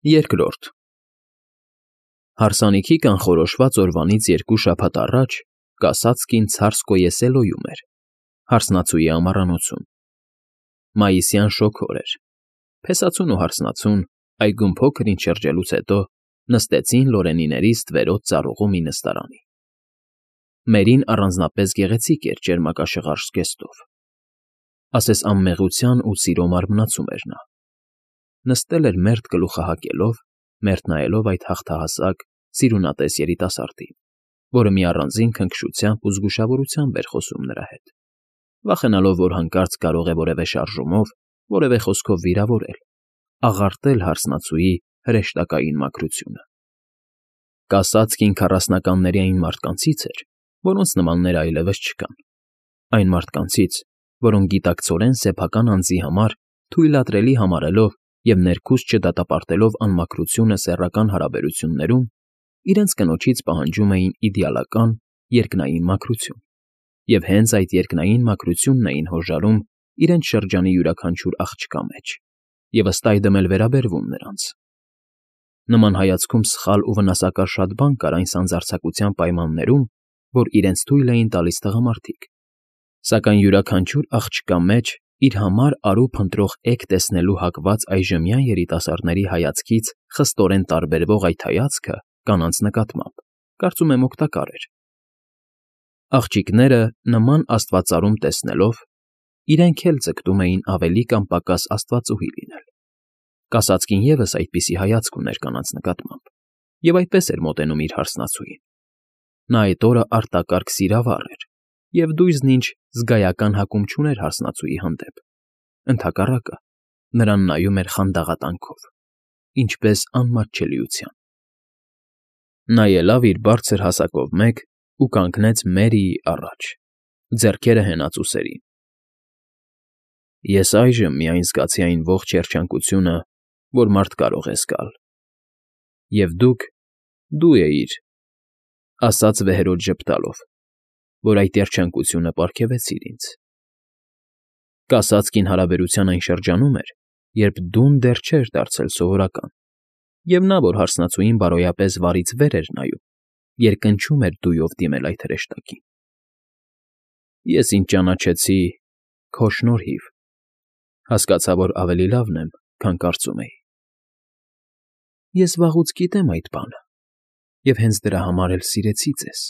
Երկրորդ Հարսանիքի կանխորոշված օրվանից 2 շաբաթ առաջ կասածքին Ցարսկոե-Սելոյում էր, հարսնացուի ամառանոցում։ Մայիսյան շոգ օր էր։ Փեսացուն ու հարսնացուն, այգում փոքր-ինչ շրջելուց հետո նստեցին Լորենիների ստվերոտ ծառուղու մի նստարանի։ Մերին առանձնապես գեղեցիկ էր ճերմակաշղարժ զգեստով։ Ասես անմեղության ու սիրո մարմնացում էր նա։ Նստել էր մերթ գլուխը հակելով, մերթ նայելով այդ հաղթահասակ, սիրունատես երիտասարդին, որը մի առանձին քնքշությամբ ու զգուշավորությամբ էր խոսում նրա հետ, վախենալով, որ հանկարծ կարող է որևէ շարժումով, որևէ խոսքով վիրավորել, աղարտել հարսնացուի հրեշտակային մաքրությունը։ Կասածքին 40-ականների այն մարդկանցից էր, որոնց նմաններ այլևս չկան, այն մարդկանցից, որոնք գիտակցորեն սեփական անձի համար թույլատրելի համարելով և ներքուստ չդատապարտելով անմաքրությունը սեռական հարաբերություններում, իրենց կնոջից պահանջում էին իդեալական, երկնային մաքրություն, և հենց այդ երկնային մաքրությունն էին հոժարում իրենց շրջանի յուրաքանչյուր աղջկա մեջ, և ըստ այդմ էլ վերաբերվում նրանց։ Նման հայացքում սխալ ու վնասակար շատ բան կար այն սանձարձակության պայմաններում, որ իրենց թույլ էին տալիս տղամարդիկ, սակայն յուրաքանչյուր աղջկա մեջ իր համար արու փնտրող էգ տեսնելու հակված այժմյան երիտասարդների հայացքից խստորեն տարբերվող այդ հայացքը կանանց նկատմամբ, կարծում եմ, օգտակար էր։ Աղջիկները, նման աստվածարում տեսնելով, իրենք էլ ձգտում էին ավելի կամ պակաս աստվածուհի լինել։ Կասածքին ևս այդպիսի հայացք ուներ կանանց նկատմամբ, և այդպես էր մոտենում իր հարսնացուին։ Նա այդ օրը արտակարգ սիրավառ էր, և դույզն ինչ զգայական հակում չուներ հարսնացուի հանդեպ, ընդհակառակը, նրան նայում էր խանդաղատանքով, ինչպես անմատչելիության։ Նա ելավ իր բարձր հասակով մեկ ու կանգնեց Մերիի առաջ, ձեռքերը հենած ուսերին։ Ես այժմ միայն զգացի այն ողջ երջանկությունը, որ մարդ կարող է զգալ։ Եվ դու էիր, ասաց վեհերոտ ժպտալով, որ այդ երջանկությունը պարգևեցիր ինձ։ Կասածքին հարաբերության այն շրջանում էր, երբ դուն դեռ չէր դարձել սովորական, և նա, որ հարսնացուին բարոյապես վարից վեր էր նայում, երկնչում էր դույով դիմել այդ հրեշտակին։ Ես ինձ ճանաչեցի քո շնորհիվ, հասկացա, որ ավելի լավն եմ, քան կարծում էի։ Ես վաղուց գիտեմ այդ բանը, և հենց դրա համար էլ սիրեցի ձեզ։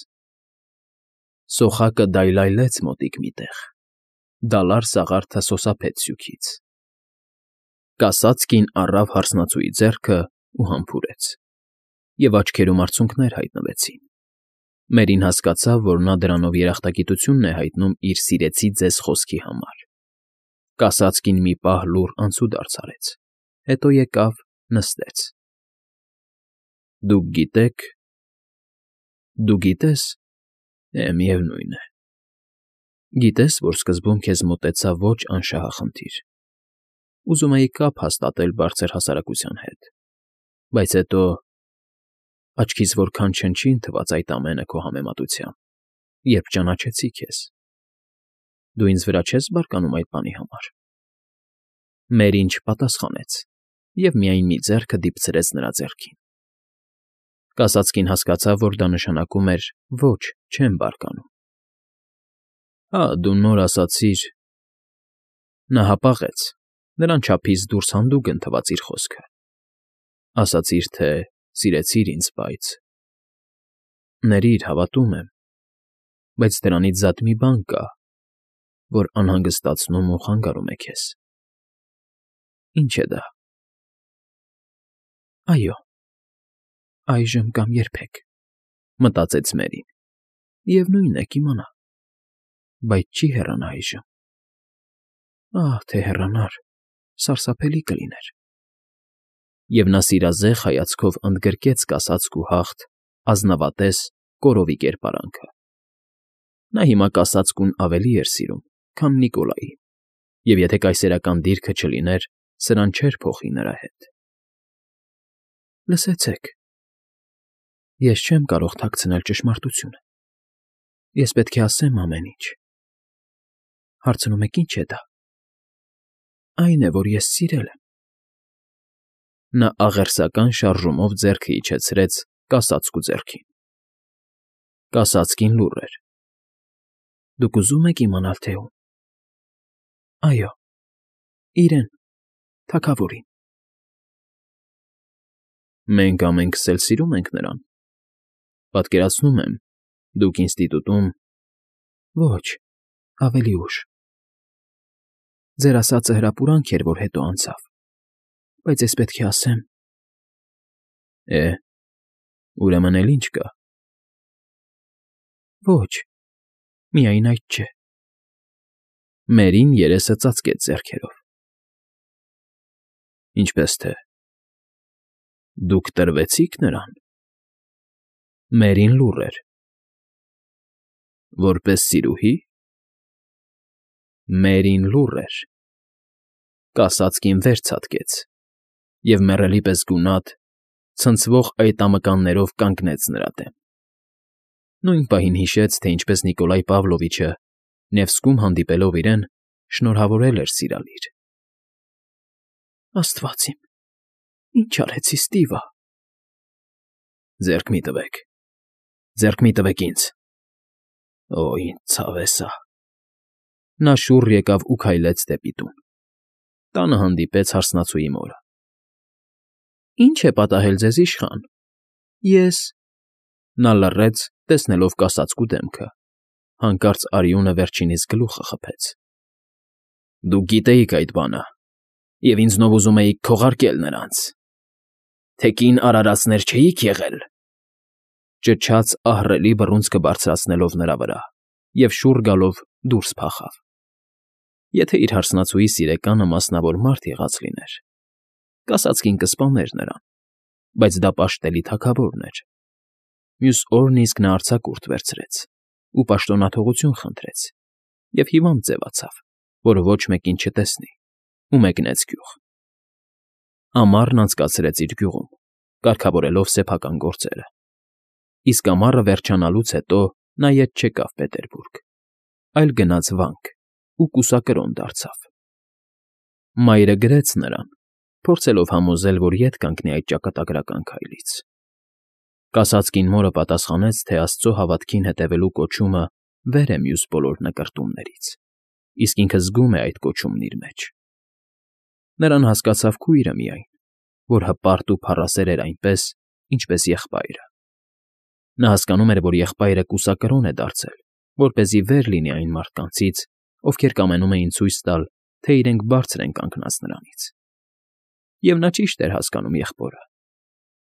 Սոխակը դայլայլեց մոտիկ մի տեղ, դալար սաղարթը սոսափեց սյուքից։ Կասածքին առավ հարսնացուի ձեռքը ու համբուրեց, և աչքերում արցունքներ հայտնվեցին։ Մերին հասկացավ, որ նա դրանով երախտագիտությունն է հայտնում իր «սիրեցի ձեզ» խոսքի համար։ Կասածքին մի պահ լուռ անցուդարձ արեց, հետո եկավ, նստեց։ Դու գիտես, միևնույն է, գիտես, որ սկզբում քեզ մոտեցա ոչ անշահախնդիր, ուզում էի կապ հաստատել բարձր հասարակության հետ, բայց հետո աչքիս որքան չնչին թվաց այդ ամենը քո համեմատությամբ, երբ ճանաչեցի քեզ։ Դու ինձ վրա չես բարկանում այդ բանի համար։ Մերին չպատասխանեց և միայն մի ձեռքը դիպցրեց նրա ձեռքին։ Կասածքին հասկացավ, որ դա նշանակում էր ոչ, չեմ բարկանում։ Հա, դու նոր ասացիր… Նա հապաղեց, նրան չափից դուրս հանդուգն թվաց իր խոսքը։ Ասացիր, թե սիրեցիր ինձ, բայց… Ներիր, հավատում եմ, բայց դրանից զատ մի բան կա, որ անհանգստացնում ու խանգարում է քեզ։ Ի՞նչ է դա։ Այո, այժմ կամ երբեք, մտածեց Մերին, և նույնն է կիմանա, բայց չի հեռանա այժմ։ Ահ, թե հեռանար, սարսափելի կլիներ։ Եվ նա սիրազեղ հայացքով ընդգրկեց կասածք ու հաղթ, ազնվատես, կորովի կերպարանքը։ Նա հիմա կասածքուն ավելի էր սիրում, քան Նիկոլային, և եթե կայսերական դիրքը չլիներ, սրան չէր փոխի նրա հետ։ Լսեցեք, ես չեմ կարող թաքցնել ճշմարտությունը։ Ես պետք է ասեմ ամեն ինչ։ Հարցնում եք՝ ի՞նչ է դա։ Այն է, որ ես սիրել եմ։ Նա աղերսական շարժումով ձեռքը իջեցրեց կասածկու ձեռքին։ Կասածկին լուռ էր։ Դուք ուզում եք իմանալ, թե ում։ Այո, իրեն, թագավորին։ Մենք ամենքս էլ սիրում ենք նրան։ Պատկերացնում եմ, դուք ինստիտուտում… Ոչ, ավելի ուշ։ Ձեր ասածը հրապուրանք էր, որ հետո անցավ, բայց ես պետք է ասեմ… Ուրեմն էլ ինչ կա։ Ոչ, միայն այդ չէ։ Մերին երեսը ծածկեց ձեռքերով։ Ինչպես թե… Դուք տրվեցի՞ք նրան։ Մերին լուռ էր։ Որպես սիրուհի։ Մերին լուռ էր։ Կասածկին վեր ցատկեց և մեռելի պես գունատ, ցնցվող այտամկաններով կանգնեց նրա դեմ։ Նույն պահին հիշեց, թե ինչպես Նիկոլայ Պավլովիչը, Նևսկում հանդիպելով իրեն, շնորհավորել էր սիրալիր։ Աստված իմ, ինչ արեցի, Ստիվա… Ձեռք մի տվեք… Ձեռք մի տվեք ինձ… Օ, ինչ ցավ է սա… Նա շուռ եկավ ու քայլեց դեպի տուն։ Տանը հանդիպեց հարսնացուի մորը։ Ինչ է պատահել ձեզ, իշխան… Ես… Նա լռեց, տեսնելով կասածկու դեմքը, հանկարծ արյունը վերջինիս գլուխը խփեց։ Դուք գիտեիք այդ բանը, և ինձնով ուզում էիք քողարկել նրանց… Թե կին արարածներ չէիք եղել… Ճչաց ահռելի բռունցքը բարձրացնելով նրա վրա և շուռ գալով դուրս փախավ։ Եթե իր հարսնացուի սիրեկանը մասնավոր մարդ եղած լիներ, կասածքին կսպաներ նրան, բայց դա պաշտելի թագավորն էր։ Մյուս օրն իսկ նա արձակուրդ վերցրեց ու պաշտոնաթողություն խնդրեց և հիվանդ ձևացավ, որ ոչ մեկին չտեսնի, ու մեկնեց գյուղ։ Ամառն անցկացրեց իր գյուղում, կարգավորելով սեփական գործերը։ Իսկ ամառը վերջանալուց հետո նա ետ չեկավ Պետերբուրգ, այլ գնաց վանք ու կուսակրոն դարձավ։ Մայրը գրեց նրան, փորձելով համոզել, որ ետ կանգնի այդ ճակատագրական քայլից։ Կասածկին մորը պատասխանեց, թե Աստծո հավատքին հետևելու կոչումը վեր է մյուս բոլոր նկրտումներից, իսկ ինքը զգում է այդ կոչումն իր մեջ։ Նրան հասկացավ քույրը միայն, որ հպարտ ու փառասեր էր այնպես, ինչպես եղբայրը։ Նա հասկանում էր, որ եղբայրը կուսակրոն է դարձել, որպեսզի վեր լինի այն մարդկանցից, ովքեր կամենում էին ցույց տալ, թե իրենք բարձր են կանգնած նրանից։ Եվ նա ճիշտ էր հասկանում եղբորը։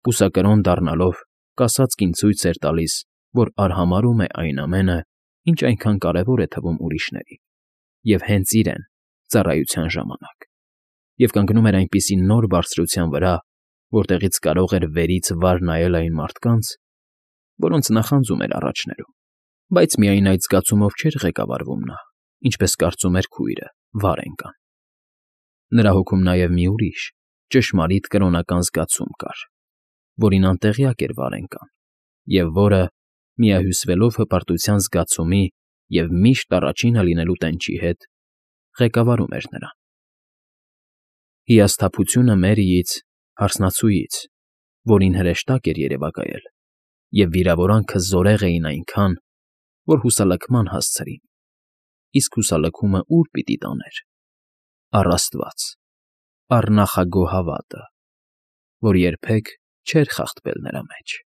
Կուսակրոն դառնալով, կասածքին ցույց էր տալիս, որ արհամարհում է այն ամենը, ինչ այնքան կարևոր է թվում ուրիշներին, և հենց իրեն, ծառայության ժամանակ, և կանգնում էր այնպիսի նոր բարձրության վրա, որտեղից կարող էր վերից վար նայել այն մարդկանց, որոնց նախանձում էր առաջներում, բայց միայն այդ զգացումով չէր ղեկավարվում նա, ինչպես կարծում էր քույրը, Վարենգան։ Նրա հոգում նաև մի ուրիշ, ճշմարիտ կրոնական զգացում կար, որին անտեղյակ էր Վարենգան, և որը, միահյուսվելով հպարտության զգացումի և միշտ առաջինը լինելու տենչի հետ, ղեկավարում էր նրան։ Հիասթափությունը Մերիից, հարսնացուից, որին հրեշտակ էր երևակայել, և վիրավորանքը զորեղ էին այնքան, որ հուսալքման հասցրին, իսկ հուսալքումը ուր պիտի տաներ… առ Աստված, առ նախագոհ հավատը, որ երբեք չէր խախտվել նրա մեջ։